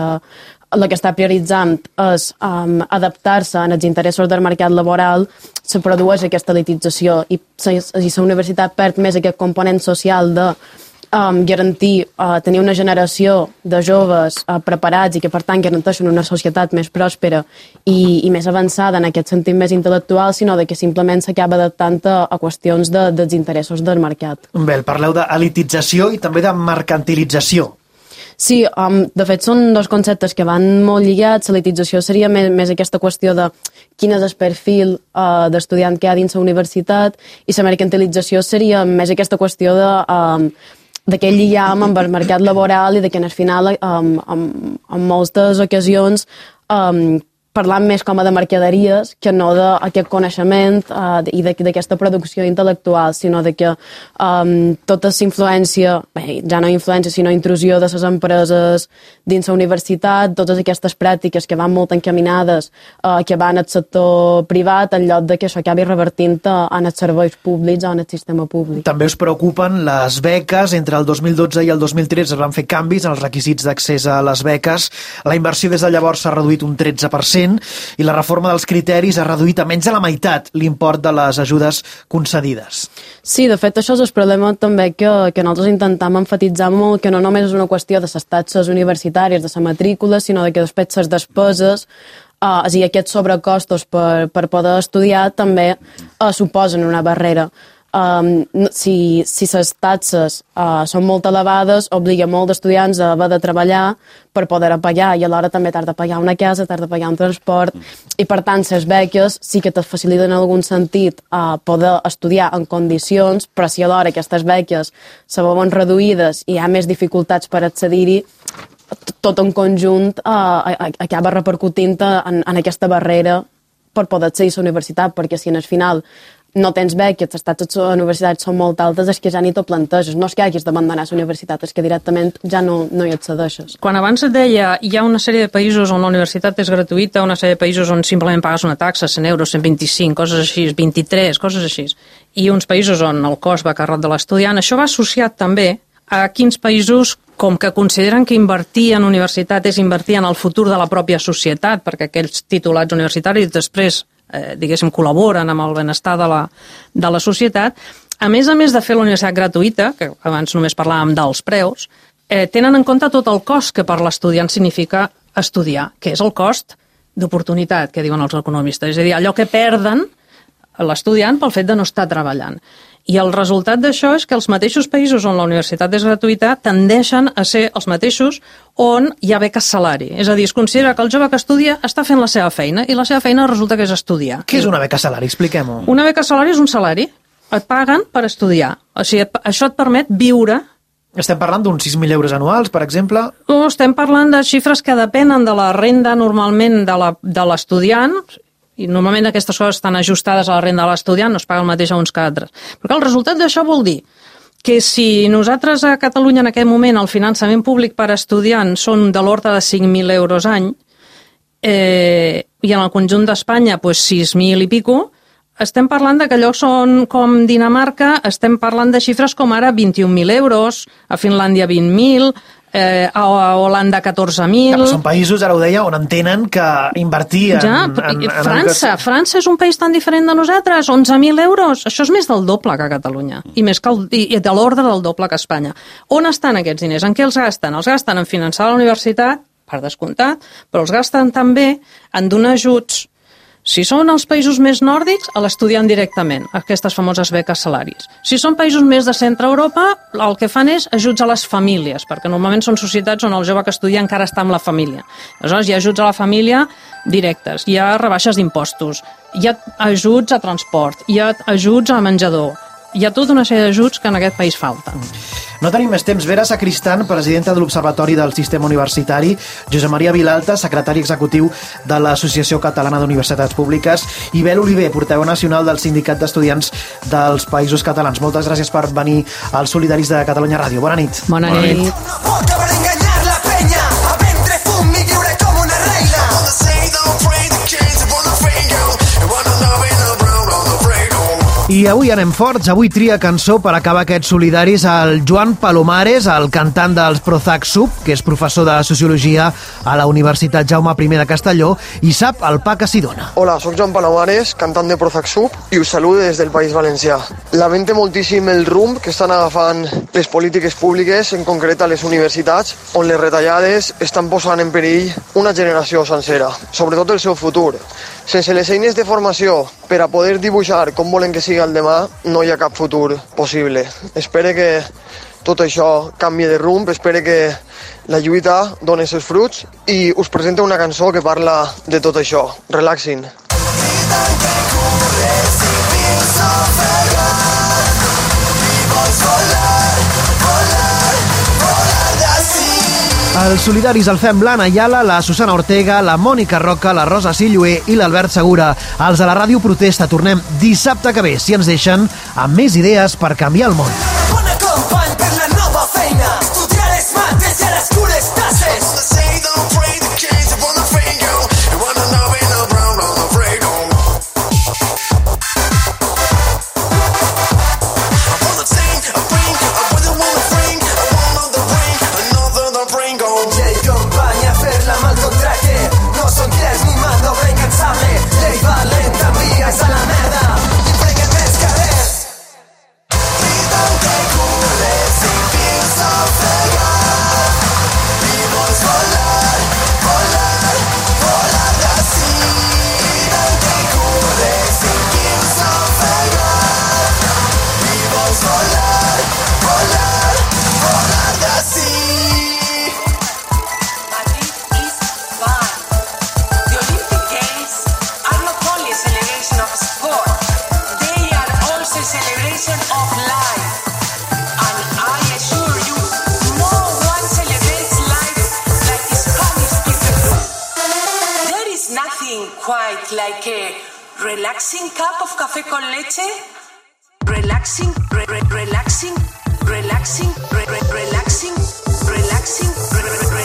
el que està prioritzant és adaptar-se als interessos del mercat laboral, se produeix aquesta elitització i la universitat perd més aquest component social de garantir tenir una generació de joves preparats i que per tant garanteixen una societat més pròspera i més avançada en aquest sentit més intel·lectual, sinó que simplement s'acaba adaptant a qüestions dels interessos del mercat. Bé, parleu d'elitització i també de mercantilització. Sí, de fet són dos conceptes que van molt lligats. L'elitització seria més aquesta qüestió de quin és el perfil d'estudiant que hi ha dins la universitat i la mercantilització seria més aquesta qüestió d'aquell lligam amb el mercat laboral i de que al final en moltes ocasions parlant més com de mercaderies que no d'aquest coneixement i d'aquesta producció intel·lectual, sinó de que tota la influència, ja no influència, sinó intrusió de les empreses dins la universitat, totes aquestes pràctiques que van molt encaminades, que van al sector privat, en lloc de que això acabi revertint en els serveis públics o en el sistema públic. També us preocupen les beques. Entre el 2012 i el 2013 es van fer canvis en els requisits d'accés a les beques. La inversió des de llavors s'ha reduït un 13%, i la reforma dels criteris ha reduït a menys de la meitat l'import de les ajudes concedides. Sí, de fet, això és el problema també que nosaltres intentem emfatitzar molt, que no només és una qüestió de les taxes universitàries, de la matrícula, sinó que després les despeses, és a dir, aquests sobrecostos per poder estudiar també suposen una barrera. Si les taxes són molt elevades, obliga molt d'estudiants a haver de treballar per poder pagar, i alhora també t'has de pagar una casa, t'has de pagar un transport, i per tant les beques sí que te faciliten en algun sentit poder estudiar en condicions, però si alhora aquestes beques se veuen reduïdes i hi ha més dificultats per accedir-hi, tot en conjunt acaba repercutint en aquesta barrera per poder accedir a la universitat, perquè si al final no tens beques, les taxes a les universitats són molt altes, és que ja ni t'ho planteges. No és que hagis d'abandonar la universitat, és que directament ja no hi accedeixes. Quan abans et deia, hi ha una sèrie de països on la universitat és gratuïta, una sèrie de països on simplement pagues una taxa, 100 euros, 125, coses així, 23, coses així, i uns països on el cost va a càrrec de l'estudiant. Això va associat també a quins països com que consideren que invertir en universitat és invertir en el futur de la pròpia societat, perquè aquells titulats universitaris després diguéssim, col·laboren amb el benestar de la societat. A més de fer la universitat gratuïta, que abans només parlàvem dels preus, tenen en compte tot el cost que per l'estudiant significa estudiar, que és el cost d'oportunitat, que diuen els economistes. És a dir, allò que perden l'estudiant pel fet de no estar treballant. I el resultat d'això és que els mateixos països on la universitat és gratuïta tendeixen a ser els mateixos on hi ha beques salari. És a dir, es considera que el jove que estudia està fent la seva feina i la seva feina resulta que és estudiar. Què és una beca salari? Expliquem-ho. Una beca salari és un salari. Et paguen per estudiar. O sigui, això et permet viure. Estem parlant d'uns 6.000 euros anuals, per exemple? Estem parlant de xifres que depenen de la renda normalment de l'estudiant, i normalment aquestes coses estan ajustades a la renda de l'estudiant, no es paga el mateix a uns que a altres. Però el resultat d'això vol dir que si nosaltres a Catalunya en aquest moment el finançament públic per estudiant són de l'ordre de 5.000 euros any, i en el conjunt d'Espanya 6.000 i pico, estem parlant de que llocs com Dinamarca estem parlant de xifres com ara 21.000 euros, a Finlàndia 20.000, a Holanda 14.000... Però són països, ara ho deia, on entenen que invertir en França és un país tan diferent de nosaltres, 11.000 euros, això és més del doble que a Catalunya, i de l'ordre del doble que a Espanya. On estan aquests diners? En què els gasten? Els gasten en finançar la universitat, per descomptat, però els gasten també en donar ajuts. Si són els països més nòrdics, a l'estudiant directament, aquestes famoses beques salaris. Si són països més de centre Europa, el que fan és ajuts a les famílies, perquè normalment són societats on el jove que estudia encara està amb la família. Aleshores, hi ha ajuts a la família directes, hi ha rebaixes d'impostos, hi ha ajuts a transport, hi ha ajuts a menjador, hi ha tota una sèrie d'ajuts que en aquest país falten. No tenim més temps. Vera Sacristan, presidenta de l'Observatori del Sistema Universitari, Josep Maria Vilalta, secretari executiu de l'Associació Catalana d'Universitats Públiques, i Bel Oliver, portaveu nacional del Sindicat d'Estudiants dels Països Catalans. Moltes gràcies per venir als Solidaris de Catalunya Ràdio. Bona nit. Bona nit. I avui anem forts, avui tria cançó per acabar aquests solidaris el Joan Palomares, el cantant dels Prozac Sub, que és professor de Sociologia a la Universitat Jaume I de Castelló, i sap el pa que s'hi dona. Hola, sóc Joan Palomares, cantant de Prozac Sub, i us saludo des del País Valencià. Lamento moltíssim el rumb que estan agafant les polítiques públiques, en concret a les universitats, on les retallades estan posant en perill una generació sencera, sobretot el seu futur. Sense les eines de formació per a poder dibuixar com volen que sigui el demà, no hi ha cap futur possible. Espero que tot això canvi de rumb, espero que la lluita doni els fruits i us presento una cançó que parla de tot això. Relaxin. Els solidaris el fem l'Anna Ayala, la Susana Ortega, la Mònica Roca, la Rosa Silloé i l'Albert Segura. Els de la Ràdio Protesta tornem dissabte que ve, si ens deixen, amb més idees per canviar el món. Bona company per la nova feina, estudiar les mates i a les cures tasses. A la merda i prenguem més carrers. Cridan que corres i fins a ofegar i vols volar, volar, volar d'ací. Cridan que corres i fins a ofegar i vols volar, volar, volar d'ací. Celebration of life, and I assure you, no one celebrates life like the Spanish people do. There is nothing quite like a relaxing cup of café con leche. Relaxing, relaxing, relaxing, relaxing, relaxing, relaxing.